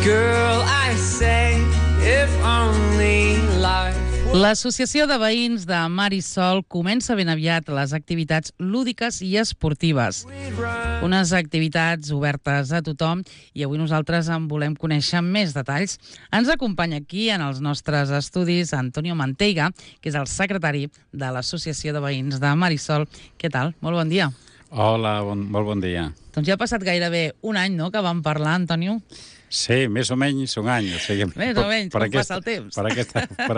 Girl, I say, if only life. L'Associació de Veïns de Mar i Sol comença ben aviat les activitats lúdiques i esportives. Unes activitats obertes a tothom i avui nosaltres en volem conèixer més detalls. Ens acompanya aquí en els nostres estudis Antonio Manteiga, que és el secretari de l'Associació de Veïns de Mar i Sol. Què tal? Molt bon dia. Hola, molt bon dia. Doncs ja ha passat gairebé un any, no?, que vam parlar, Antonio. Sí, més o menys un any. O sigui, més o menys, com passa el temps. Per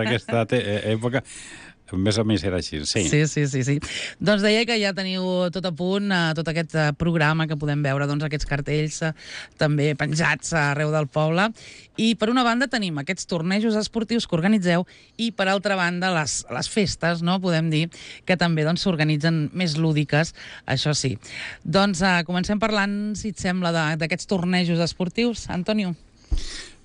aquesta època, més o menys era així, sí. Sí. Doncs deia que ja teniu tot a punt, tot aquest programa que podem veure, doncs aquests cartells també penjats arreu del poble. I per una banda tenim aquests tornejos esportius que organitzeu i per altra banda les festes, no, podem dir, que també doncs s'organitzen més lúdiques, això sí. Doncs comencem parlant, si et sembla, d'aquests tornejos esportius, Antonio.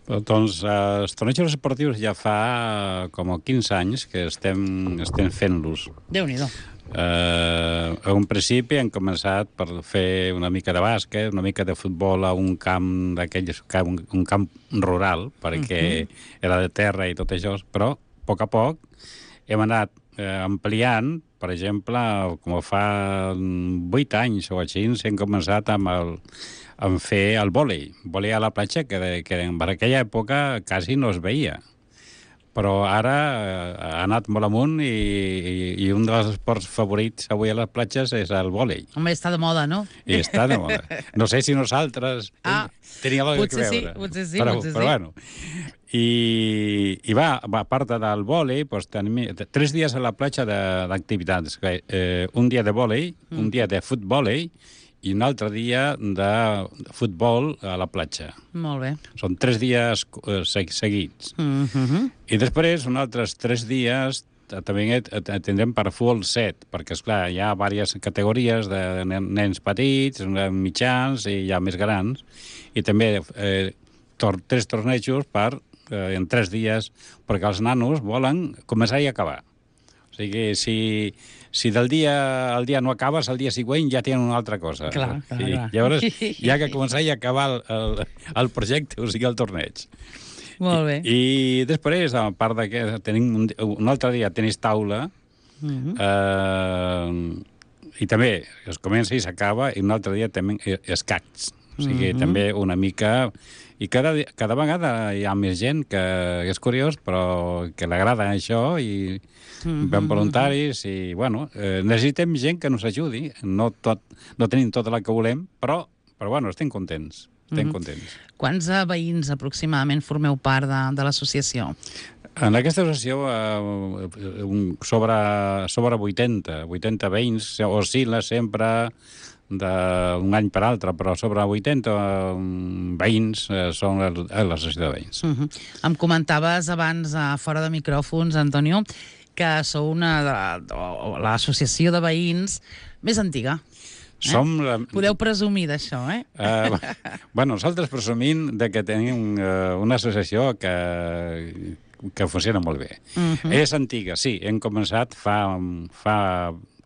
Doncs els tornejos esportius ja fa com 15 anys que estem fent-los. Déu-n'hi-do. A un principi hem començat per fer una mica de bàsquet, una mica de futbol a un camp d'aquells, un camp rural, perquè era de terra i tot això, però a poc hem anat ampliant. Per exemple, com fa 8 anys o així, hem començat amb fer el vòlei a la platja, que per aquella època quasi no es veia. Però ara ha anat molt amunt i un dels esports favorits avui a les platges és el vòlei. Home, està de moda, no? I està de moda. No sé si nosaltres teníem alguna cosa a veure. Potser sí. Però bueno. I a part del vòlei, doncs, tenim 3 dies a la platja d'activitats. Un dia de vòlei, un dia de futbòlei i un altre dia de futbol a la platja. Molt bé. Són 3 dies seguits. I després, uns altres 3 dies també tindrem per futbol 7, perquè, esclar, hi ha diverses categories de nens petits, mitjans i ja més grans, i també 3 tornejos en 3 dies, perquè els nanos volen començar i acabar. O sigui, si el dia no acabes, el dia següent ja tenen una altra cosa. Clar. Llavors, hi ha que començar i acabar el projecte, o sigui, el torneig. Molt bé. I després, a part que tenim un altre dia tenis taula, i també es comença i s'acaba, i un altre dia també escacs. O sigui, també una mica... I cada vegada hi ha més gent que és curiós, però que l'agrada això, i ben voluntaris, i, bueno, necessitem gent que ens ajudi. No tenim tota la que volem, però bueno, estem contents. Quants veïns aproximadament formeu part de l'associació? En aquesta associació sobre 80 veïns, oscil·la sempre d'un any per altre, però sobre 80 veïns són l'associació de veïns. Em comentaves abans, fora de micròfons, Antonio, que sou l'associació de veïns més antiga. Podeu presumir d'això, Bueno, nosaltres presumim que tenim una associació que funciona molt bé. És antiga, sí. Hem començat fa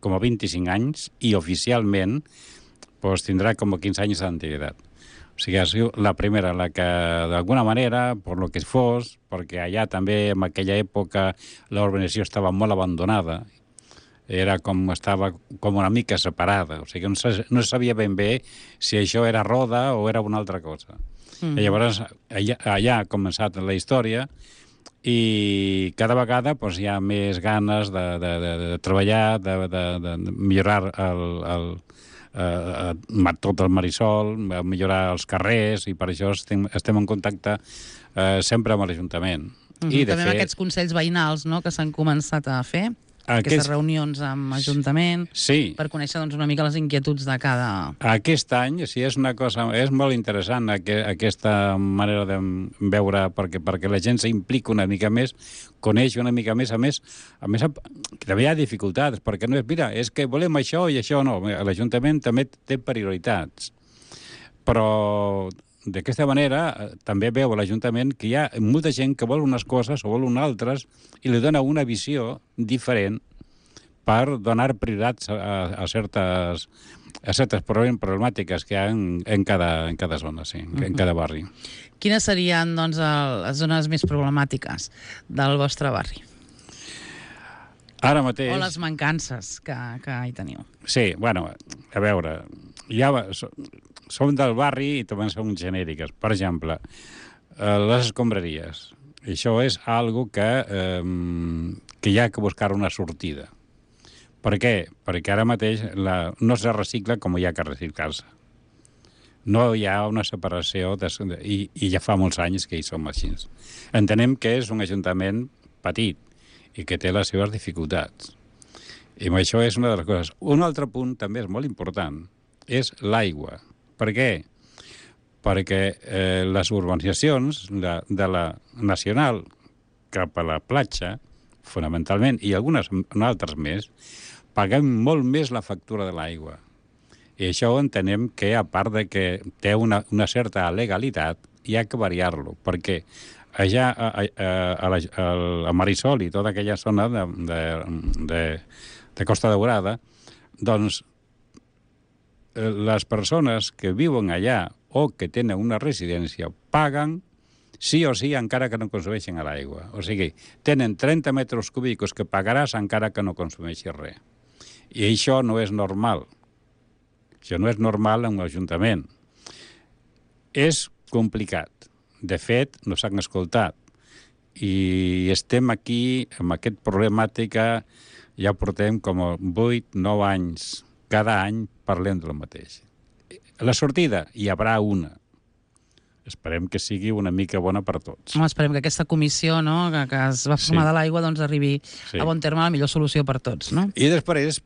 com a 25 anys i oficialment tindrà com a 15 anys d'antiguitat. O sigui, ha sigut la primera, la que d'alguna manera, per lo que fos, perquè allà també en aquella època l'organització estava molt abandonada, estava com una mica separada, o sigui, no sabia ben bé si això era roda o era una altra cosa. I llavors allà ha començat la història i cada vegada hi ha més ganes de treballar, de millorar tot el Marisol, millorar els carrers, i per això estem en contacte sempre amb l'Ajuntament. I també amb aquests consells veïnals, no?, que s'han començat a fer. Aquestes reunions amb Ajuntament, per conèixer una mica les inquietuds de cada... Aquest any, sí, és una cosa... És molt interessant aquesta manera de veure, perquè la gent s'implica una mica més, coneix una mica més, a més, també hi ha dificultats, perquè no és, mira, és que volem això i això no. L'Ajuntament també té prioritats, però d'aquesta manera també veu a l'Ajuntament que hi ha molta gent que vol unes coses o vol unes altres i li dona una visió diferent per donar prioritats a certes a certes problemàtiques que hi ha en cada zona, sí, en cada barri. Quines serien, doncs, les zones més problemàtiques del vostre barri? Ara mateix... O les mancances que hi teniu? Sí, bueno, a veure, ja som del barri i també som genèriques. Per exemple, les escombraries. Això és algo que hi ha que buscar una sortida. Per què? Perquè ara mateix no es recicla com hi ha que reciclar-se. No hi ha una separació i ja fa molts anys que hi som així. Entenem que és un ajuntament petit i que té les seves dificultats. I això és una de les coses. Un altre punt també és molt important, és l'aigua. Per què? Perquè les urbanitzacions de la nacional cap a la platja, fonamentalment, i algunes altres més, paguem molt més la factura de l'aigua. I això entenem que, a part de que té una certa legalitat, hi ha que variar-lo, perquè allà a Marisol i tota aquella zona de Costa Daurada, doncs les persones que viuen allà o que tenen una residència paguen sí o sí encara que no consumeixen l'aigua. O sigui, tenen 30 metres cúbics que pagaràs encara que no consumeixis res. I això no és normal. Això no és normal en un ajuntament. És complicat. De fet, no s'han escoltat. I estem aquí amb aquesta problemàtica, ja portem com 8-9 anys. Cada any parlem del mateix. La sortida hi haurà una. Esperem que sigui una mica bona per tots. Esperem que aquesta comissió, no, que es va formar de l'aigua, doncs arribi a bon terme la millor solució per tots, no? I després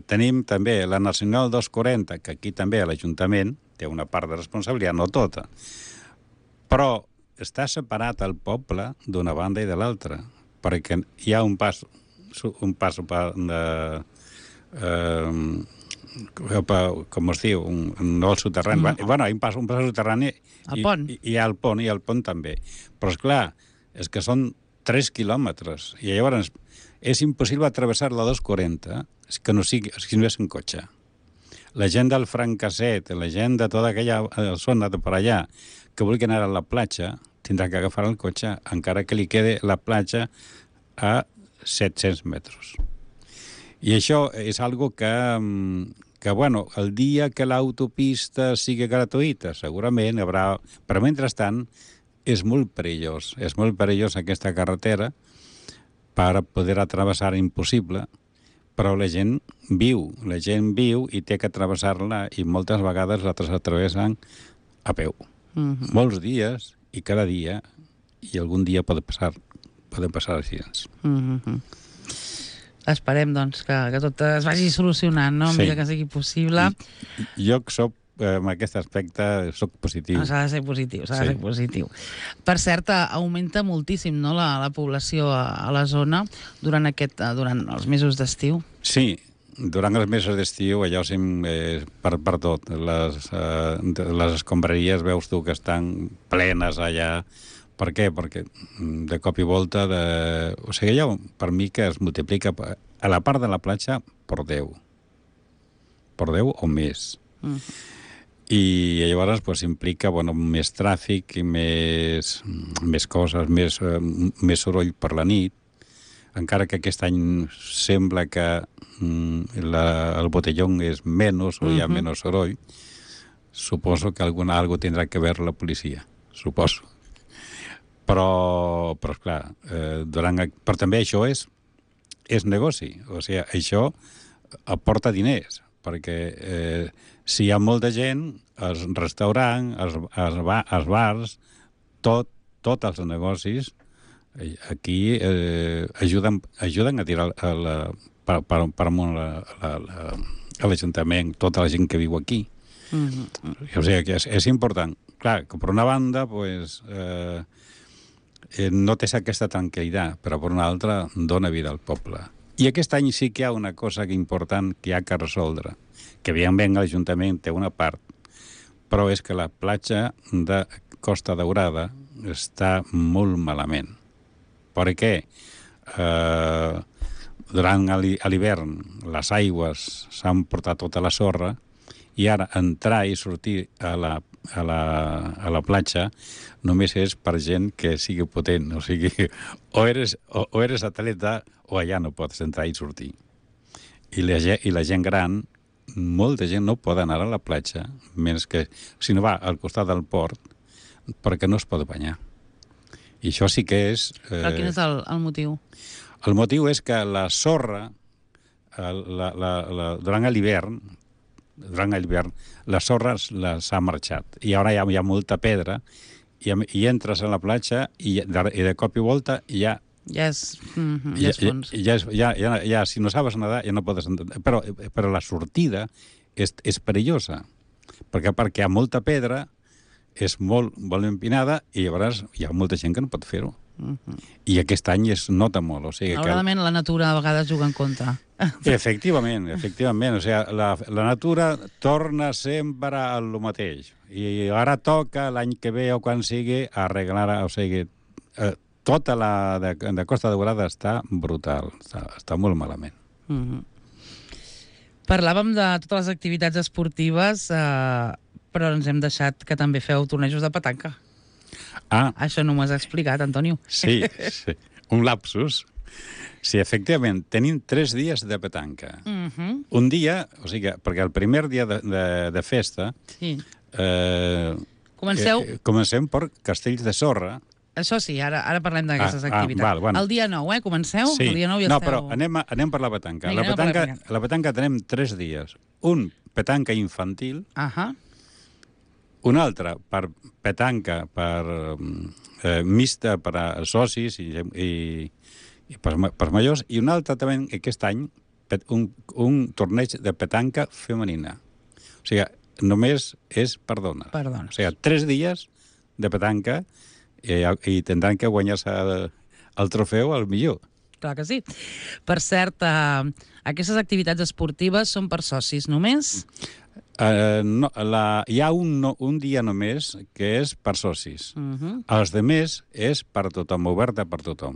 tenim també la Nacional 240, que aquí també l'Ajuntament té una part de responsabilitat, no tota, però està separat el poble d'una banda i de l'altra, perquè hi ha un pas com es diu, no el soterrani, bueno, hi ha un pas soterrani el pont. I hi ha el pont, i el pont també. Però, esclar, és que són 3 quilòmetres, i llavors és impossible travessar la 240 que no sigui, si no és en cotxe. La gent del Francasset, la gent de tota aquella zona de per allà, que vulgui anar a la platja, tindrà que agafar el cotxe, encara que li quede la platja a 700 metres. I això és algo que bueno, el dia que l'autopista sigui gratuïta, segurament hi haurà... Però, mentrestant, és molt perillós aquesta carretera per poder atravessar impossible, però la gent viu i té que travessar-la i moltes vegades la travessen a peu. Molts dies i cada dia, i algun dia poden passar així. Esperem, doncs, que tot es vagi solucionant, no? Sí. Que sigui possible. Jo soc, en aquest aspecte, soc positiu. S'ha de ser positiu, s'ha de ser positiu. Per cert, augmenta moltíssim, no?, la població a la zona durant els mesos d'estiu. Sí, durant els mesos d'estiu, allò per tot. Les escombraries veus tu que estan plenes allà. Per què? Perquè de cop i volta... O sigui, allò per mi que es multiplica a la part de la platja per 10. Per 10 o més. I llavors implica més tràfic i més coses, més soroll per la nit. Encara que aquest any sembla que el botellón és menys o hi ha menys soroll, suposo que algo tindrà que veure la policia, suposo. Però esclar, però també això és negoci. O sigui, això aporta diners, perquè si hi ha molta gent, els restaurants, els bars, tots els negocis, aquí ajuden a tirar per amunt a l'Ajuntament, tota la gent que viu aquí. O sigui, que és important. Clar, que per una banda, no té aquesta tranquil·litat, però per una altra dona vida al poble. I aquest any sí que hi ha una cosa important que hi ha que resoldre, que evidentment l'Ajuntament té una part, però és que la platja de Costa Daurada està molt malament. Per què? Durant l'hivern les aigües s'han portat tota la sorra I ara entrar i sortir a la platja només és per gent que sigui potent. O sigui, o eres atleta o allà no pots entrar i sortir. I la gent gran, molta gent no pot anar a la platja, menys que si no va al costat del port, perquè no es pot banyar. I això sí que és... Però quin és el motiu? El motiu és que la sorra, durant l'hivern, la sorra s'ha marxat. I ara hi ha molta pedra, i entres a la platja i de cop i volta ja és fons. Si no sabes nedar, ja no pots entrar. Però la sortida és perillosa, perquè hi ha molta pedra, és molt empinada, i llavors hi ha molta gent que no pot fer-ho. I aquest any es nota molt. O sigui, malauradament la natura a vegades juga en contra. Efectivament. O sigui, la natura torna sempre a lo mateix. I ara toca, l'any que ve o quan sigui, arreglar... O sigui, tota la de Costa Daurada està brutal. Està molt malament. Parlàvem de totes les activitats esportives, però ens hem deixat que també feu tornejos de petanca. Això no m'ho has explicat, Antonio. Sí, un lapsus. Sí, efectivament, tenim 3 dies de petanca. Un dia, o sigui, perquè el primer dia de festa... Sí. Comencem per Castells de Sorra. Això sí, ara parlem d'aquestes activitats. Bueno. El dia 9, comenceu? Sí. El dia 9 ja no, però anem per la petanca. La petanca tenim 3 dies. Un, petanca infantil. Un altre, per petanca, per mixta per a socis i per majors. I un altre també, aquest any, un torneig de petanca femenina. O sigui, només és per dones. O sigui, 3 dies de petanca i tindran que guanyar-se el trofeu al millor. Clar que sí. Per cert, aquestes activitats esportives són per socis només? No, hi ha un dia només que és per socis. Els demés és per tothom, oberta per tothom.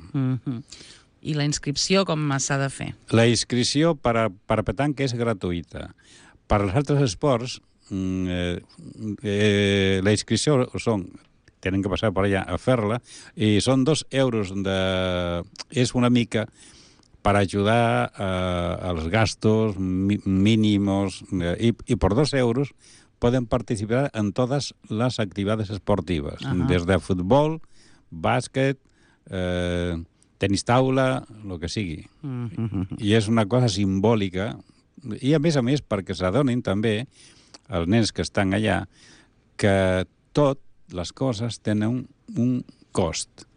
I la inscripció com s'ha de fer? La inscripció per petanca és gratuïta. Per als altres esports, la inscripció tenen que passar per allà a fer-la, i són 2 euros és una mica per ajudar als gastos mínimos, i per 2 euros poden participar en totes les activitats esportives, des de futbol, bàsquet, tenis taula, el que sigui. I és una cosa simbòlica, i a més perquè s'adonin també els nens que estan allà que tot les coses tenen un cost.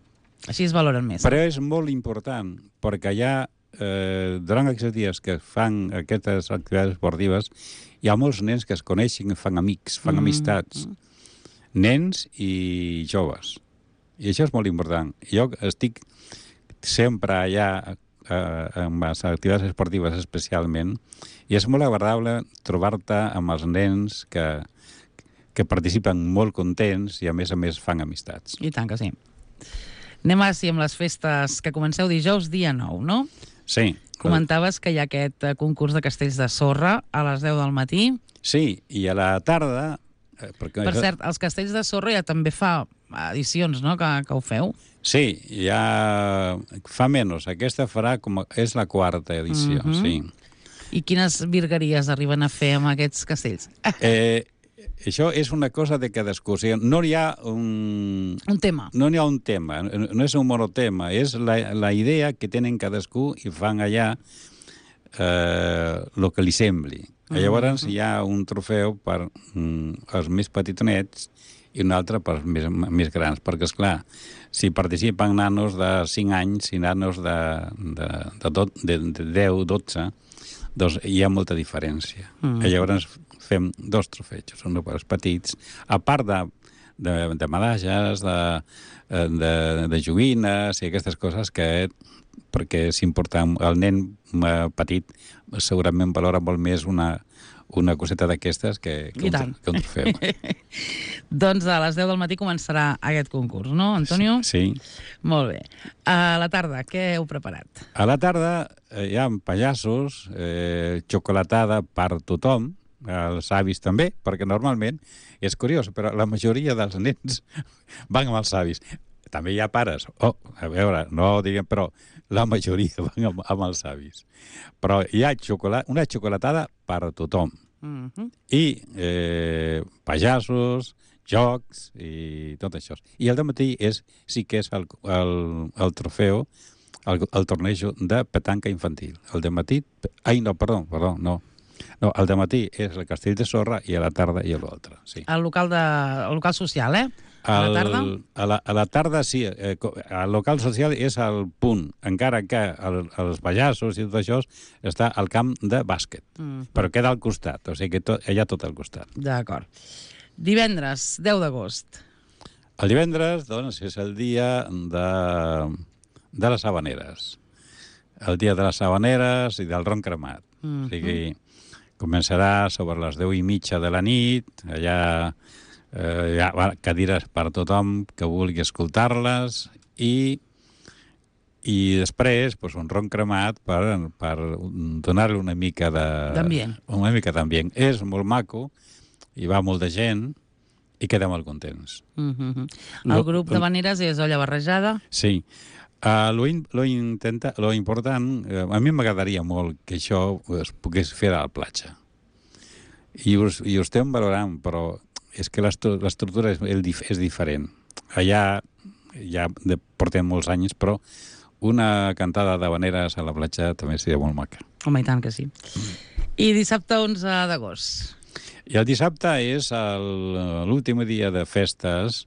Així es valoren més. Però és molt important, perquè allà, durant aquests dies que fan aquestes activitats esportives, hi ha molts nens que es coneixen, fan amics, fan amistats. Nens i joves. I això és molt important. Jo estic sempre allà amb les activitats esportives especialment, i és molt agradable trobar-te amb els nens que participen molt contents i a més fan amistats. I tant que sí. Anem ara sí amb les festes que comenceu dijous, dia 9, no? Sí. Comentaves que hi ha aquest concurs de castells de sorra a les 10 del matí. Sí, i a la tarda... Per cert, els castells de sorra ja també fa edicions, no?, que ho feu. Sí, ja fa menys. Aquesta farà és la 4ª edició, sí. I quines virgueries arriben a fer amb aquests castells? Això és una cosa de cadascú. O sigui, no hi ha un tema. No hi ha un tema, no és un monotema. És la idea que tenen cadascú i fan allà el que li sembli. Llavors hi ha un trofeu per els més petitonets i un altre per els més grans, perquè, esclar, si participen nanos de 5 anys i nanos de 10, 12, doncs hi ha molta diferència. Llavors fem 2 trofejos, un per als petits, a part de medalles, de joguines i aquestes coses perquè és important. El nen petit segurament valora molt més una coseta d'aquestes que un trofeu. Doncs a les 10 del matí començarà aquest concurs, no, Antonio? Sí. Molt bé. A la tarda, què heu preparat? A la tarda hi ha pallassos, xocolatada per tothom, els avis també, perquè normalment, és curiós, però la majoria dels nens van amb els avis. També hi ha pares, a veure, no diguem, però la majoria van amb els avis. Però hi ha una xocolatada per a tothom. I pallassos, jocs i tot això. I el dematí sí que és el trofeu, el torneig de petanca infantil. El dematí... Perdó, no. No, el dematí és el castell de sorra i a la tarda i l'altre, sí. El local social, A la tarda? A la tarda, sí. El local social és el punt, encara que els pallassos i tot això està al camp de bàsquet. Però queda al costat, o sigui que hi ha tot al costat. D'acord. Divendres, 10 d'agost. El divendres, doncs, és el dia de les Havaneres. El dia de les Havaneres i del ron cremat. O sigui, començarà sobre les 10:30 de la nit, allà hi ha cadires per a tothom que vulgui escoltar-les i després un ron cremat per donar-li una mica d'ambient. Una mica d'ambient. És molt maco i va molta gent i quedem molt contents. El grup d'havaneres és olla barrejada? Sí. Lo important, a mi m'agradaria molt que això es pogués fer a la platja. I ho estem valorant, però és que l'estructura és diferent. Allà ja portem molts anys, però una cantada d'havaneres a la platja també seria molt maca. Home, i tant que sí. I dissabte 11 d'agost. I el dissabte és l'últim dia de festes.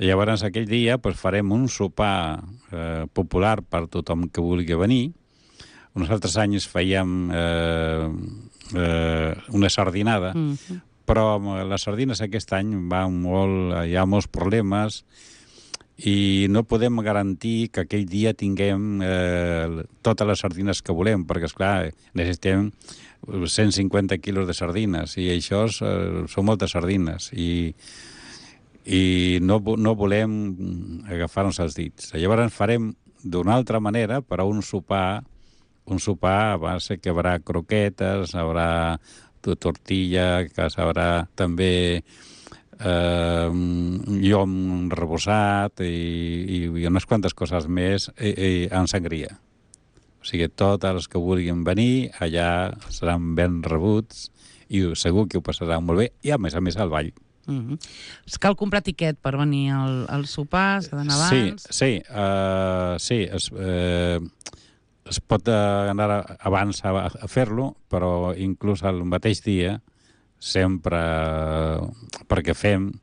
Llavors, aquell dia farem un sopar popular per tothom que vulgui venir. Uns altres anys fèiem una sardinada, però amb les sardines aquest any hi ha molts problemes i no podem garantir que aquell dia tinguem totes les sardines que volem, perquè, esclar, necessitem 150 quilos de sardines i això són moltes sardines i no volem agafar-nos els dits. Llavors farem d'una altra manera, però un sopar va ser que hi haurà croquetes, haurà tortilla, que haurà també llom rebossat i unes quantes coses més en sangria. O sigui, tots els que vulguin venir allà seran ben rebuts i segur que ho passaran molt bé i, a més al ball. Cal comprar tiquet per venir al sopar? S'ha d'anar abans? Sí. Es pot anar abans a fer-lo, però inclús el mateix dia, sempre, perquè fem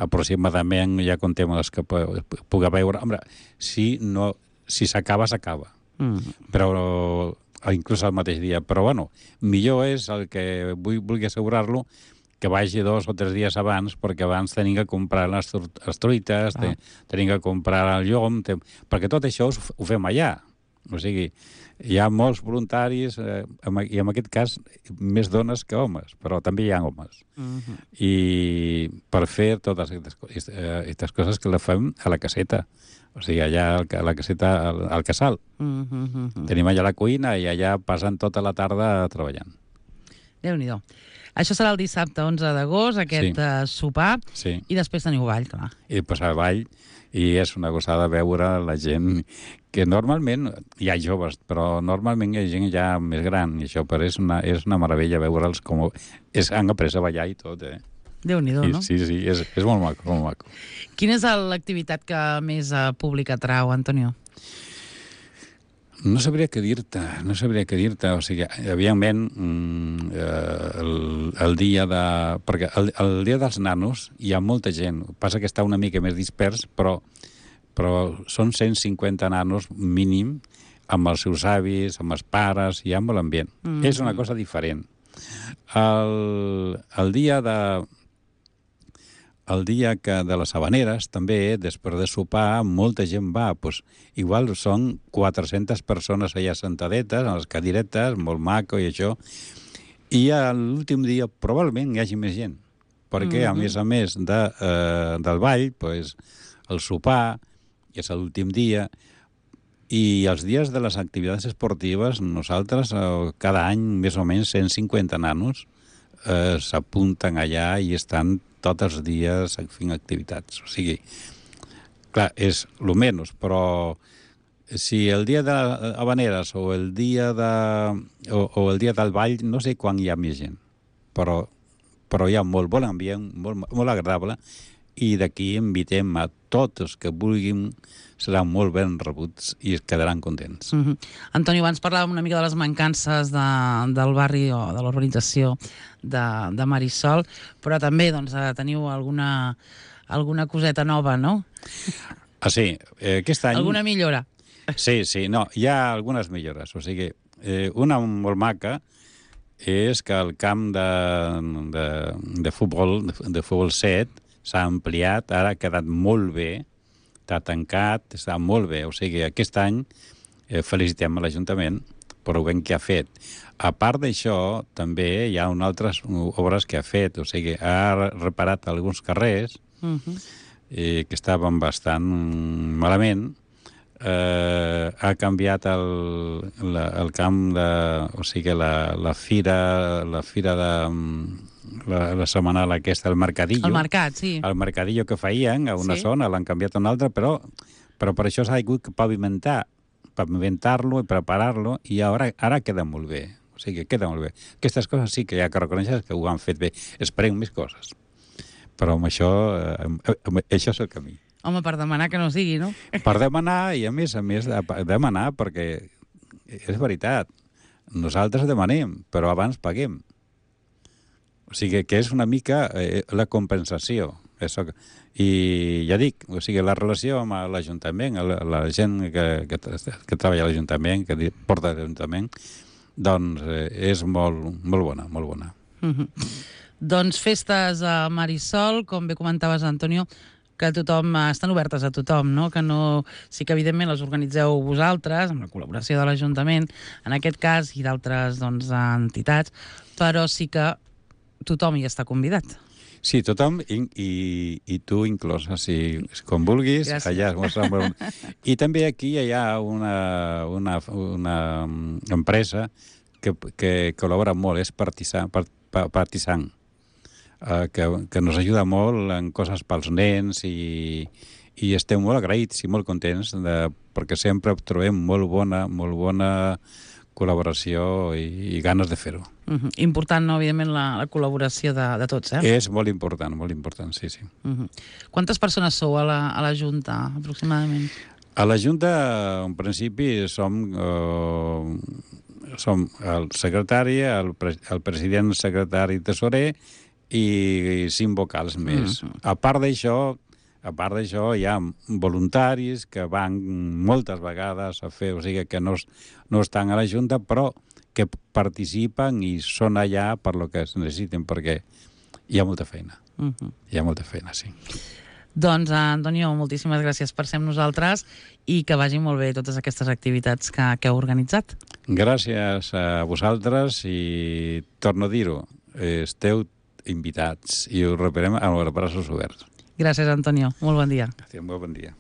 aproximadament, ja contem els que puga veure. Home, si s'acaba, s'acaba. Però inclús el mateix dia. Però, bueno, millor és el que vulgui assegurar-lo que vagi 2 o 3 dies abans, perquè abans tenim que comprar les truites, tenim que comprar el llom, perquè tot això ho fem allà. O sigui, hi ha molts voluntaris, i en aquest cas més dones que homes, però també hi ha homes. I per fer totes aquestes coses que les fem a la caseta. O sigui, allà a la caseta, al casal. Tenim allà la cuina i allà passen tota la tarda treballant. Déu-n'hi-do. Això serà el dissabte 11 d'agost, aquest sopar, i després teniu ball, clar. I després el ball, i és una gosada veure la gent que normalment hi ha joves, però normalment hi ha gent ja més gran, i això és una meravella veure'ls com han après a ballar i tot, Déu-n'hi-do, no? Sí, és molt maco, molt maco. Quina és l'activitat que més públic atrau, Antonio? No sabria què dir-te. O sigui, evidentment, el dia de... Perquè el dia dels nanos hi ha molta gent. Passa que està una mica més dispers, però són 150 nanos mínim amb els seus avis, amb els pares, i amb l'ambient. És una cosa diferent. El dia de les Havaneres, també, després de sopar, molta gent va. Igual són 400 persones allà sentadetes, a les cadiretes, molt maco i això. I l'últim dia probablement hi hagi més gent, perquè a més del ball, el sopar, que és l'últim dia, i els dies de les activitats esportives, nosaltres cada any més o menys 150 nanos s'apunten allà i estan tots els dies fent activitats. O sigui, clar, és el menys, però si el dia de Habaneres o el dia o el dia del ball, no sé quan hi ha més gent, però hi ha molt bon ambient, molt agradable, i d'aquí invitem a tots els que vulguin, seran molt ben rebuts i es quedaran contents. Antonio, abans parlàvem una mica de les mancances del barri o de l'urbanització de Marisol, però també teniu alguna coseta nova, no? Sí, aquest any... Alguna millora? Sí, no, hi ha algunes millores. O sigui, una molt maca és que el camp de futbol 7 s'ha ampliat, ara ha quedat molt bé, està tancat, està molt bé. O sigui, aquest any felicitem a l'Ajuntament per el ben que ha fet. A part d'això, també hi ha altres obres que ha fet. O sigui, ha reparat alguns carrers que estaven bastant malament. Ha canviat el camp o sigui, la fira de la setmanal aquesta, el mercadillo. El mercat, sí. El mercadillo que feien a una zona, l'han canviat a una altra, però per això s'ha hagut que pavimentar-lo i preparar-lo, i ara queda molt bé. O sigui, queda molt bé. Aquestes coses sí que hi ha que reconèixer que ho han fet bé. Esperem més coses. Però amb això és el camí. Home, per demanar que no sigui, no? Per demanar, i a més demanar, perquè és veritat, nosaltres demanem, però abans paguem. O sigui, que és una mica la compensació. I ja dic, o sigui, la relació amb l'Ajuntament, la gent que treballa a l'Ajuntament, que porta l'Ajuntament, doncs és molt bona, molt bona. Doncs festes a Marisol, com bé comentaves, Antonio, que estan obertes a tothom, no? Que no... Sí que, evidentment, les organitzeu vosaltres, amb la col·laboració de l'Ajuntament, en aquest cas, i d'altres entitats, però sí que tothom hi està convidat. Sí, tothom, i tu inclòs, com vulguis. Gràcies. Allà es mostra... I també aquí hi ha una empresa que col·labora molt, és Partisan, que nos ajuda molt en coses pels nens, i estem molt agraïts i molt contents perquè sempre trobem molt bona col·laboració i ganes de fer-ho. Important, no, evidentment, la col·laboració de tots, eh? És molt important, sí. Quantes persones sou a la Junta, aproximadament? A la Junta, en principi, som el secretari, el president, secretari, tesorer, i 5 vocals més. A part d'això, hi ha voluntaris que van moltes vegades a fer, o sigui que no estan a la Junta, però que participen i són allà per lo que es necessiten, perquè hi ha molta feina. Hi ha molta feina, sí. Doncs, Antonio, moltíssimes gràcies per ser amb nosaltres i que vagin molt bé totes aquestes activitats que heu organitzat. Gràcies a vosaltres i torno a dir-ho, esteu invitats i us rebrem amb els braços oberts. Gràcies, Antonio. Molt bon dia. Molt bon dia.